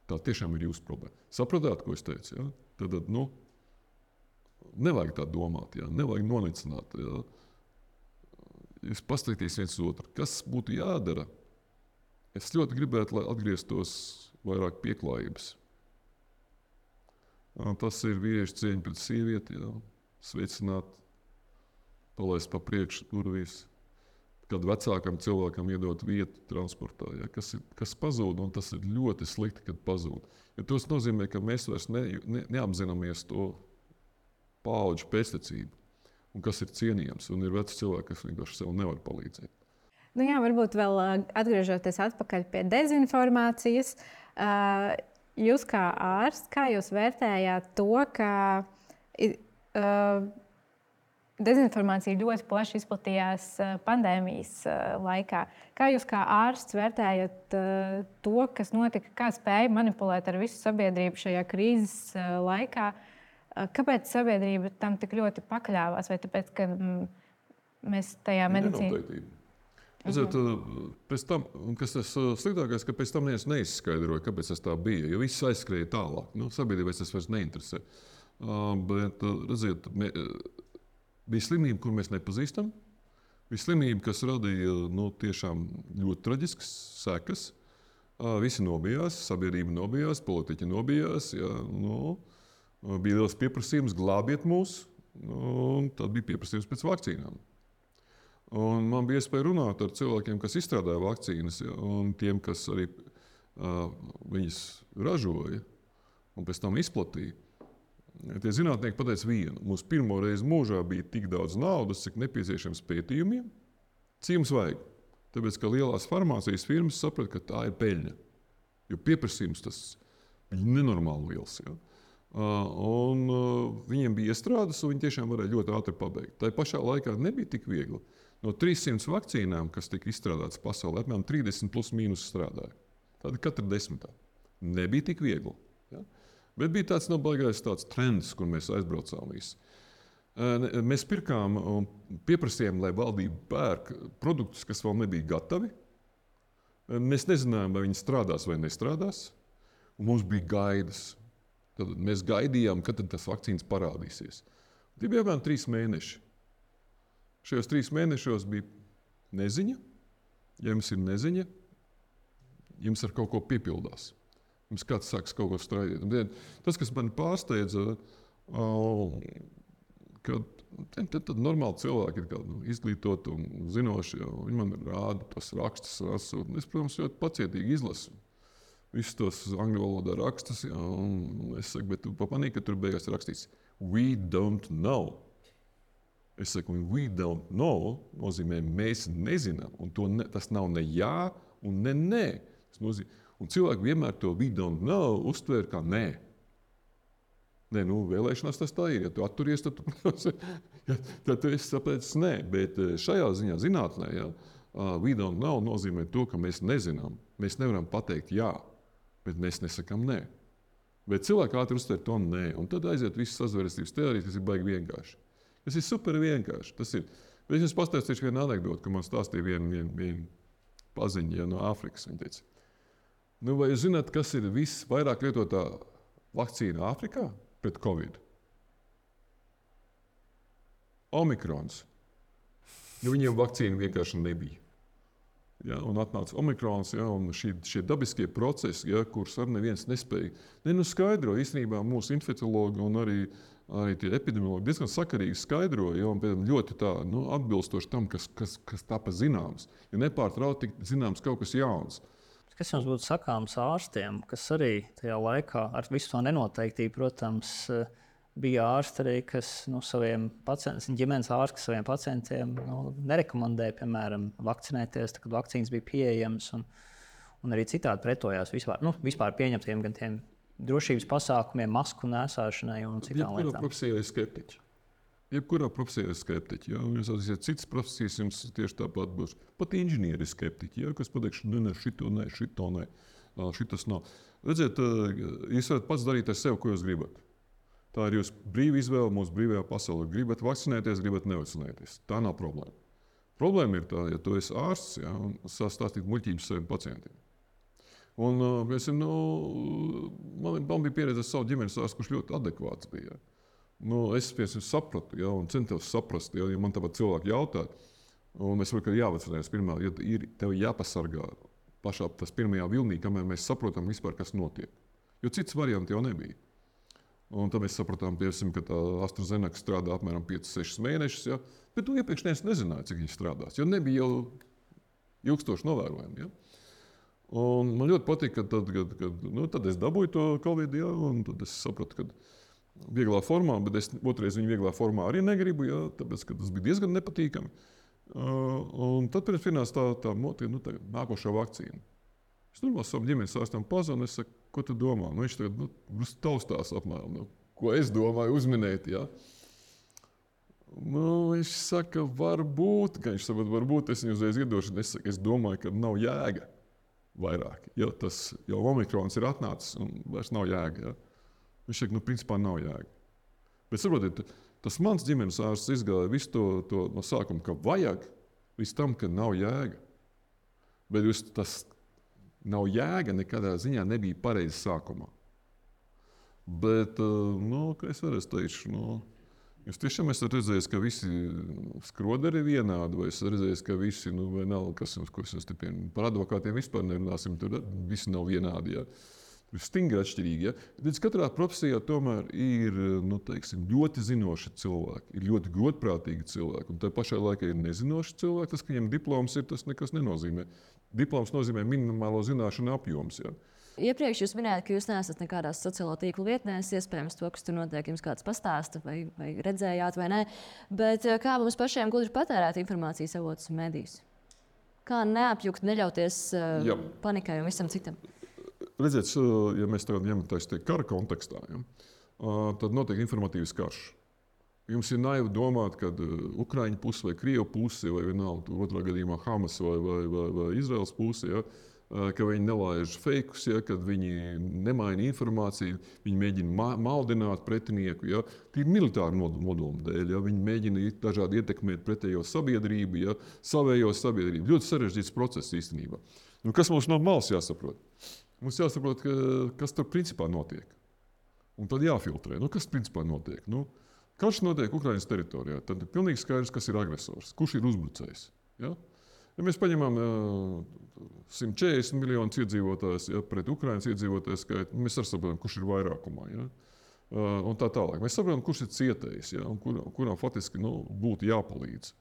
Tā tiešām ir jūsu problēma. Sapratāt, ko es teicu? Ja? Tad, nu, nevajag tā domāt, ja? Nevajag nonicināt. Ja? Jūs paskatīties viens otru, kas būtu jādara. Es ļoti gribētu, lai atgrieztos vairāk pieklājības. Tas ir vīriešu cieņa pret sievieti, ja? Sveicināt, palaist pa priekšu durvīs, kad vecākam cilvēkam iedot vietu transportā, ja? kas, ir, kas pazūd, un tas ir ļoti slikti, kad pazūd. Ja tas nozīmē, ka mēs vairs ne, ne, neapzināmies to paudžu pēctecību, un kas ir cienījams, un ir veci cilvēki, kas vienkārši sev nevar palīdzēt. Nu jā, varbūt vēl atgriežoties atpakaļ pie dezinformācijas, jūs kā ārsts, kā jūs vērtējāt to, ka Uh, dezinformācija ļoti plaši izplatījās uh, pandēmijas uh, laikā. Kā jūs kā ārsts vērtējat uh, to, kas notika, kā spēja manipulēt ar visu sabiedrību šajā krīzes uh, laikā? Uh, kāpēc sabiedrība tam tik ļoti pakļāvās? Vai tāpēc, ka mm, mēs tajā medicīnā... Redziet, pēc tam, kas tas sliktākais, ka pēc tam neviens neizskaidroja, kāpēc tas tā bija, jo viss aizskrēja tālāk. Nu, sabiedrībai tas vairs neinteresē. Uh, bet, redziet, mē, bija slimība, kur mēs nepazīstam. Bija slimība, kas radīja nu, tiešām ļoti traģiskas sekas. Uh, visi nobijās, sabiedrība nobijās, politiķi nobijās. Ja, nu, bija liels pieprasījums, glābiet mūs, nu, un tad bija pieprasījums pēc vakcīnām. Un man bija iespēja runāt ar cilvēkiem, kas izstrādāja vakcīnas, ja, un tiem, kas arī uh, viņas ražoja un pēc tam izplatīja. Tie zinātnieki pateica vienu. Mums pirmo reizi mūžā bija tik daudz naudas, cik nepieciešams pētījumiem. Cik jums vajag? Tāpēc, ka lielās farmācijas firmas saprata, ka tā ir peļņa. Jo pieprasījums tas ir nenormāli liels. Ja? Un viņiem bija iestrādes, un viņi tiešām varēja ļoti ātri pabeigt. Tā pašā laikā nebija tik viegli. No trīssimiem vakcīnām, kas tika izstrādātas pasaulē, apmēram trīsdesmit plus mīnus strādāja. Tāda katra desmitā. Nebija tik viegli. Ja? Bet bija tāds no baigais tāds trends, kur mēs aizbraucām visi. Mēs pirkām un pieprasījām, lai valdība pērk produktus, kas vēl nebija gatavi. Mēs nezinājām, vai viņi strādās vai nestrādās. Un mums bija gaidas. Tad mēs gaidījām, kad tas vakcīnas parādīsies. Tie bija apmēram trīs mēneši. Šajos trīs mēnešos bija neziņa. Ja jums ir neziņa, jums ar kaut ko piepildās. Mums kāds sāks kaut ko strādāt. Tas, kas man pārsteidza, ka tad, tad normāli cilvēki ir kādi, nu, izglītoti un zinoši. Ja, viņi man rāda tos rakstus. Rasūt. Es, protams, ļoti pacietīgi izlasu visus tos angļu valodā rakstus. Ja, es saku, bet tu pamanīji, ka tur beigās ir rakstīts we don't know. Es saku, we don't know nozīmē mēs nezinām. Un to ne, tas nav ne jā un ne nē. Tas nozīmē, un cilvēki vienmēr to we don't know uztver kā nē. Nē, nu, vēlēšanās tas tā ir. Ja tu atturies, tad tu, ja, tad tu esi sapēcis nē. Bet šajā ziņā zinātnē, ja, Uh, we don't know nozīmē to, ka mēs nezinām. Mēs nevaram pateikt jā, bet mēs nesakām nē. Bet cilvēki ātri uztver to nē, un tad aiziet visas sazvērestības teorijas, kas ir baigi vienkārši. Tas ir super vienkārši. Tas ir. Bet es jums pastāstīšu vienu anekdoti, ka man stāstīja viena vien, vien paziņa ja, no Āfrikas. Viņa teica, nu, vai jūs zināt, kas ir visvairāk lietotā vakcīna Āfrikā pret Covid? Omikrons. Nu, viņiem vakcīna vienkārši nebija. Ja, un atnāca omikrons, ja, un šī, šie dabiskie procesi, ja, kurus arī neviens nespēja. Ne, nu skaidro īstenībā mūsu infekciologi un arī, arī tie epidemiologi diezgan sakarīgi skaidroja, ja, un ļoti tā, nu, atbilstoši tam, kas, kas, kas tapa zināms. Ja nepārtraukti tik zināms kaut kas jauns. Kas jums būtu sakāms ārstiem, kas arī tajā laikā ar visu to nenoteiktību, protams, bija ārsti arī, kas nu, saviem pacientiem, ģimenes ārsti saviem pacientiem nu, nerekomendēja, piemēram, vakcinēties, tad, kad vakcīnas bija pieejamas, un, un arī citādi pretojās vispār, nu, vispār pieņemtiem gan tiem drošības pasākumiem, masku nēsāšanai un citām lietām. Jebkurā profesijā ir skeptiķi. Jebkurā profesijā ir skeptiķi. Ja? Jūs atzīsiet, citas profesijas jums tieši tāpat būs. Pat inženieri ir skeptiķi, ja? Kas pateiks, ne, ne, šito ne, šito ne, šitas nav. Redziet, jūs varat pats darīt ar sevi, ko jūs gribat. Tā ir jūsu brīva izvēle mūsu brīvajā pasaulē. Gribat vakcinēties, gribat nevakcinēties. Tā nav problēma. Problēma ir tā, ja tu esi ārsts, ja, un stāstīt muļķības saviem pacientiem. Un, piemēram, nu, man, man bija pieredze ar savu ģimenes ārstu, kurš ļoti adekvāts bija. Nu, es piemēram, sapratu, ja, un centos saprast, ja, ja man tāpat cilvēki jautā, un es varu, ka jāvakcinējas pirmā, ja ir tev jāpasargā pašā tas pirmajā vilnī, kamēr mēs saprotam vispār, kas notiek. Jo cits varianti jau nebija. Un tad mēs sapratām, piemēram, ka tā AstraZeneca strādā apmēram piecus sešus mēnešus, ja? Bet tu iepriekš nezināji, cik viņi strādās, jo nebija jau ilgstoši novērojumi. Ja? Un man ļoti patīk, ka tad, kad, kad, nu, tad es dabūju to Covid, ja? Un tad es sapratu, ka vieglā formā, bet es otrais viņu vieglā formā arī negribu, ja? Tāpēc, ka tas bija diezgan nepatīkami. Uh, un tad pirms pienāca tā, tā motīva, nu, tā nākošā vakcīna. Es domāju, savam ģimenes ārstam pazvanu, es saku, ko tu domā? Nu, viņš tagad nu, taustās apmēram, nu, ko es domāju uzminēt. Ja? Nu, viņš saka, varbūt, ka viņš saprot, varbūt es viņu uzreiz iedošu. Es, saku, es domāju, ka nav jēga vairāk. Ja? Tas jau omikrons ir atnācis un vairs nav jēga. Ja? Viņš saka, nu, principā nav jēga. Bet saprotiet, tas mans ģimenes ārsts izgāja visu to, to no sākuma, ka vajag, līdz tam, ka nav jēga. Bet jūs tas nav jēga, nekādā ziņā nebija pareizi sākumā. Bet, nu, kā es varēs teikšu, nu, jūs tiešām esat redzējis, ka visi skroderi ir vienādi, vai esat redzējis, ka visi, nu, vai nav, kas jums, ko es jums te pienu, par advokātiem vispār nerunāsim, tur visi nav vienādi, ja. Tur ir stingri atšķirīgi, ja. Tad katrā profesijā tomēr ir, nu, teiksim, ļoti zinoši cilvēki, ir ļoti godprātīgi cilvēki, un tā pašā laikā ir nezinoši cilvēki, tas, ka viņiem diploms ir, tas nekas nenozīmē. Diploms nozīmē minimālo zināšanu apjoms. Ja. Iepriekš jūs minējāt, ka jūs neesat nekādās sociālo tīklu vietnēs, iespējams, to, kas tur notiek, jums kāds pastāsta, vai, vai redzējāt, vai nē. Bet kā mums pašiem gudri patērēt informācijas avotus un medijus? Kā neapjukt, neļauties uh, panikai un visam citam? Redziet, ja mēs tagad ņemamies kara kontekstā, ja, tad notiek informatīvs karš. Jums ir naivi domāt, ka Ukraiņu puse vai Krievu puse, vai vienalga, otrā gadījumā Hamas vai, vai, vai, vai Izraels puse, ja, ka viņi nelaiž fejkus, ja, kad viņi nemaina informāciju, viņi mēģina ma maldināt pretinieku. Ja, tīri militāru nodomu dēļ, ja, viņi mēģina dažādi ietekmēt pretējo sabiedrību, ja, savējo sabiedrību. Ļoti sarežģīts process īstenībā. Nu, kas mums no malas jāsaprot? Mums jāsaprot, ka, kas tur principā notiek. Un tad jāfiltrē. Nu, kas principā notiek? Nu, karš notiek Ukrainas teritorijā. Tad ir pilnīgi skaidrs, kas ir agresors, kurš ir uzbrucējs. Ja? Ja mēs paņemam uh, simt četrdesmit miljonus iedzīvotājus, ja, pret Ukrainas iedzīvotāju skaitu, mēs arī saprotam, kurš ir vairākumā. Ja? Uh, un tā tālāk. Mēs saprotam, kurš ir cietējis, ja? Un kur, kuram faktiski nu, būtu jāpalīdz.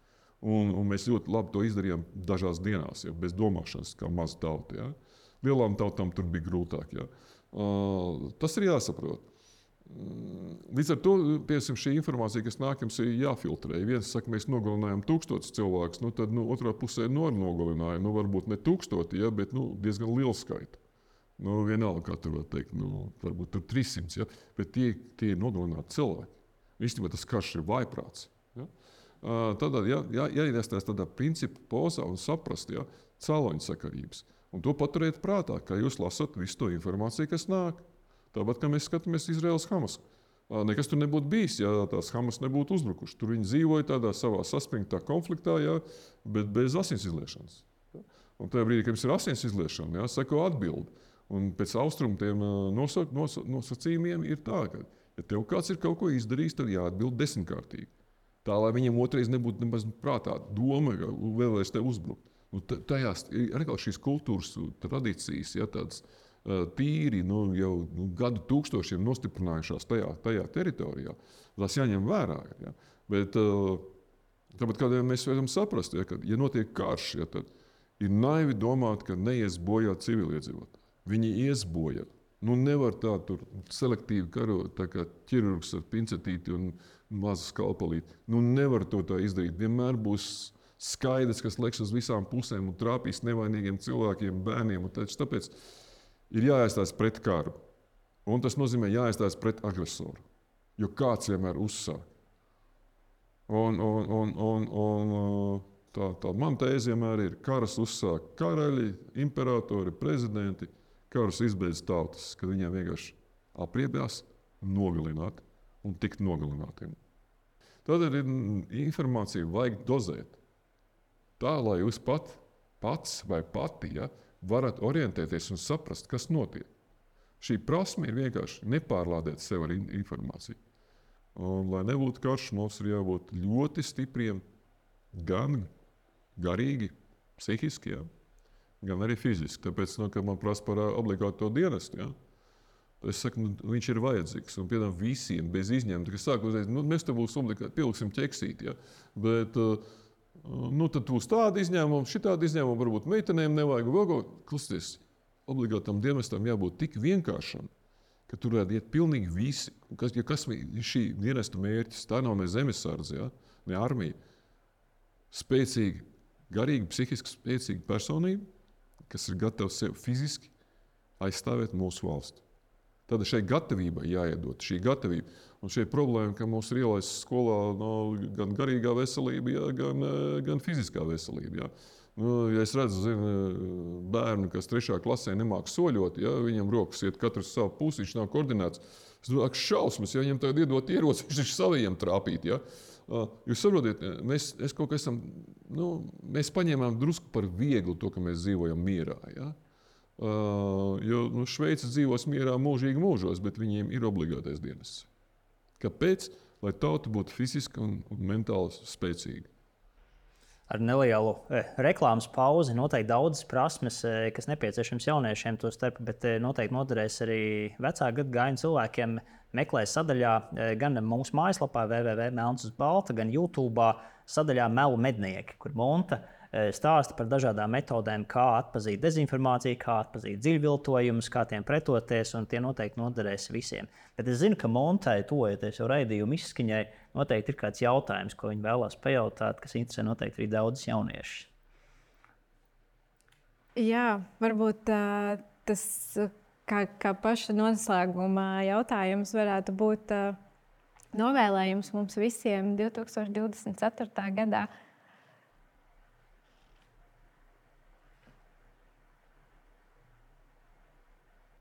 Un, un mēs ļoti labi to izdarījām dažās dienās, ja? Bez domāšanas, kā maza tauta. Ja? Lielām tautām tur bija grūtāk. Ja? Uh, tas ir jāsaprot. Līdz ar to piemēram, šī informācija, kas nāk, jums ir jāfiltrē. Viens saka, mēs nogalinājām tūkstotus cilvēkus, nu, tad nu, otrā pusē no nogalinājām. Nu, varbūt ne tūkstoti, ja, bet nu, diezgan lielu skaitu. Nu, vienalga, kā tur var teikt, nu, varbūt tur trīssimts, ja, bet tie, tie ir nogalināti cilvēki. Īstenībā tas karš ir vājprāts. Ja. Tādā jā, jā, jāiestās tādā principu pozā un saprast ja, cēloņu sakarības. Un to paturēt prātā, kā jūs lasat visu to informāciju, kas nāk. Tāpat, kā mēs skatāmies Izraels Hamas. Nekas tur nebūtu bijis, ja tās Hamas nebūtu uzbrukuši. Tur viņi dzīvoja tādā savā saspringtā konfliktā, ja, bet bez asins izliešanas. Ja. Un tajā brīdī, kad mums ir asins izliešana, ja, seko atbildi. Un pēc austrumu tiem nosa, nosa, nosacījumiem ir tā, ka, ja tev kāds ir kaut ko izdarījis, tad jāatbild desmitkārtīgi. Tā, lai viņam otrais nebūtu nemaz prātā doma, ka vēlēs tev uzbrukt. Nu, tajās ir arī šīs kultūras tradīcijas, ja, tādas uh, tīri nu, jau nu, gadu tūkstošiem nostiprinājušās tajā, tajā teritorijā. Tas jāņem vērā. Ja. Bet uh, tāpat kādiem mēs varam saprast, ja, ka, ja notiek karš, ja, tad ir naivi domāt, ka neies bojā civiliedzīvotāji. Viņi ies bojā. Nu, nevar tā tur selektīvi karot, tā kā ķirurgs ar pincetīti un mazu skalpelīti. Nu, nevar to tā izdarīt. Vienmēr būs skaidrs, kas leks uz visām pusēm un trāpīs nevainīgiem cilvēkiem, bērniem. Tāpēc ir jāiestājas pret karu. Un tas nozīmē jāiestājas pret agresoru. Jo kāds vienmēr uzsāk. Un, un, un, un, un tā, tā man tēze vienmēr ir, karas uzsāk karaļi, imperatori, prezidenti. Karus izbeidz tautas, kad viņiem vienkārši apriebjās, nogalināt un tikt nogalinātiem. Tādēļ informāciju vajag dozēt. Tā, lai jūs pat, pats vai pati ja, varat orientēties un saprast, kas notiek. Šī prasme ir vienkārši nepārlādēt sev ar informāciju. Un, lai nebūtu karš, mums ir jābūt ļoti stipriem, gan garīgi, psihiski, ja, gan arī fiziski. Tāpēc, nu, kad man prasa par obligāto dienestu, ja, es saku, nu, viņš ir vajadzīgs. Un, piemēram, visiem bez izņēmuma, kas sāk uzreiz, nu, mēs te būs obligāti, pieliksim ķeksīt, ja, bet nu, tad būs tāda izņēmuma, šitāda izņēmuma, varbūt meitenēm nevajag, vēl kaut klausieties, obligātam dienestam jābūt tik vienkāršam, ka tur varētu iet pilnīgi visi. Kas, ja kas ir šī dienesta mērķis, tā nav ne zemesardze, ja, ne armija, spēcīga, garīgi, psihiski spēcīga personība, kas ir gatavs sev fiziski aizstāvēt mūsu valsti. Tad šai gatavībai jāiedod šī gatavība. Un šī problēma, ka mums ir ielaists skolā no, gan garīgā veselība, jā, gan, gan fiziskā veselība. Jā. Nu, ja es redzu zinu, bērnu, kas trešā klasē nemāk soļot, ja, viņam rokas iet katrs savu pusi, viņš nav koordinēts. Es domāju, šausmas, ja viņam tagad iedot ieroci, viņš ir saviem trāpīt. Ja. Jūs saprotiet, mēs, es kaut kā esam, nu, mēs paņēmām drusku par vieglu to, ka mēs dzīvojam mierā. Ja? Uh, jo nu, Šveice dzīvos mierā mūžīgi mūžos, bet viņiem ir obligātais dienests. Kāpēc? Lai tauta būtu fiziski un, un mentāli spēcīga. Ar nelielu eh, reklāmas pauzi noteikti daudzas prasmes, eh, kas nepieciešams jauniešiem to starp, bet eh, noteikti noderēs arī vecāku gadagājumu cilvēkiem. Meklēs sadaļā eh, gan mūsu mājaslapā w w w punkt melns uz balta, gan YouTube sadaļā Melu mednieki, kur Monta eh, stāsta par dažādām metodēm, kā atpazīt dezinformāciju, kā atpazīt dziļviltojumus, kā tiem pretoties, un tie noteikti noderēs visiem. Bet es zinu, ka Montai, tojoties jau raidījumu izskaņai, noteikti ir kāds jautājums, ko viņi vēlās pajautāt, kas interesē noteikti arī daudzus jauniešus. Jā, varbūt uh, tas, kā, kā paša noslēguma jautājums varētu būt uh, novēlējums mums visiem divi tūkstoši divdesmit ceturtajā gadā.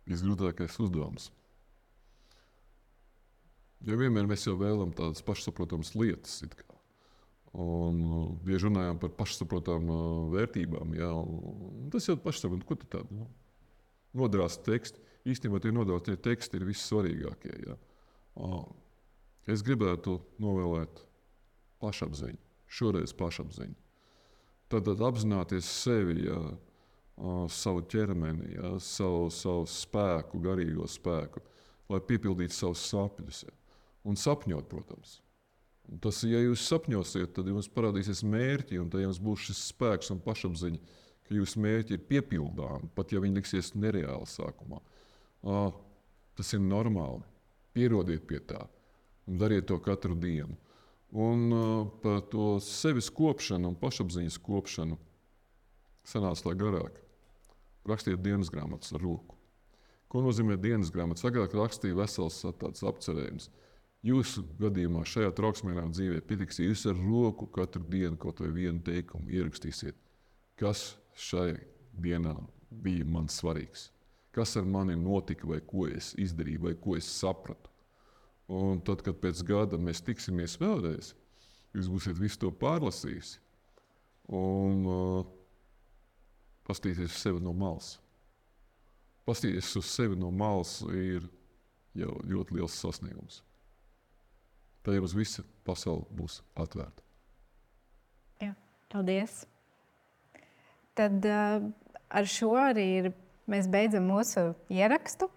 Visgrūtākais uzdevums. Jo vienmēr mēs jau vēlam tādas pašsaprotamas lietas. It kā. Un bieži runājām par pašsaprotamām vērtībām. Jā, tas jau pašsaprotams, ko tu tādu nu, nodrās teksti. Īstenībā tie nodrās teksti ir vissvarīgākie. Jā. Es gribētu novēlēt pašapziņu, šoreiz pašapziņu. Tad, tad apzināties sevi, jā, savu ķermeni, jā, savu, savu spēku, garīgo spēku, lai piepildītu savus sapņus. Jā. Un sapņot, protams. Un tas, ja jūs sapņosiet, tad jums parādīsies mērķi, un tad jums būs šis spēks un pašapziņa, ka jūsu mērķi ir piepildāmi, pat ja viņi liksies nereāli sākumā. Uh, tas ir normāli. Pierodiet pie tā un dariet to katru dienu. Un uh, par to sevis kopšanu un pašapziņas kopšanu sanāca lai garāk. Rakstiet dienas grāmatas ar roku. Ko nozīmē dienas grāmatas? Agrāk rakstīja vesels tāds apcerējums. Jūsu gadījumā šajā trauksmīgā dzīvē pietiks, ja jūs ar roku katru dienu kaut vai vienu teikumu ierakstīsiet, kas šai dienā bija man svarīgs, kas ar mani notika, vai ko es izdarīju, vai ko es sapratu. Un tad, kad pēc gada mēs tiksimies vēlreiz, jūs būsiet visu to pārlasījusi un uh, pastīties uz sevi no malas. Pastīties uz sevi no malas ir jau ļoti liels sasniegums. Tad jau uz visa pasaule būs atvērta. Jā, paldies. Tad uh, ar šo arī ir, mēs beidzam mūsu ierakstu.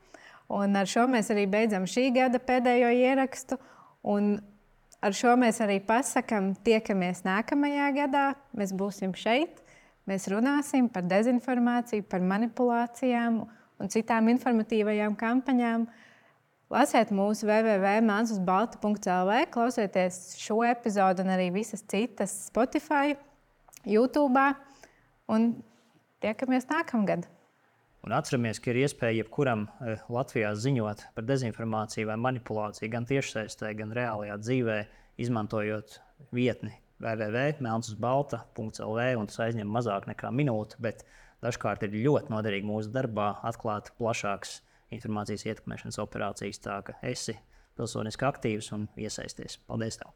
Un ar šo mēs arī beidzam šī gada pēdējo ierakstu. Un ar šo mēs arī pasakam, tiekamies nākamajā gadā. Mēs būsim šeit. Mēs runāsim par dezinformāciju, par manipulācijām un citām informatīvajām kampaņām. Lasiet mūsu w w w punkt mans uz balta punkts l v, klausieties šo epizodu un arī visas citas Spotify, YouTube un tiekamies nākamgad. Un atceramies, ka ir iespēja jebkuram Latvijā ziņot par dezinformāciju vai manipulāciju gan tiešsaistē, gan reālajā dzīvē, izmantojot vietni w w w punkt mans uz balta punkts l v, un tas aizņem mazāk nekā minūti, bet dažkārt ir ļoti noderīgi mūsu darbā atklāt plašākas informācijas ietekmēšanas operācijas, tā ka esi pilsoniski aktīvs un iesaisties. Paldies tev!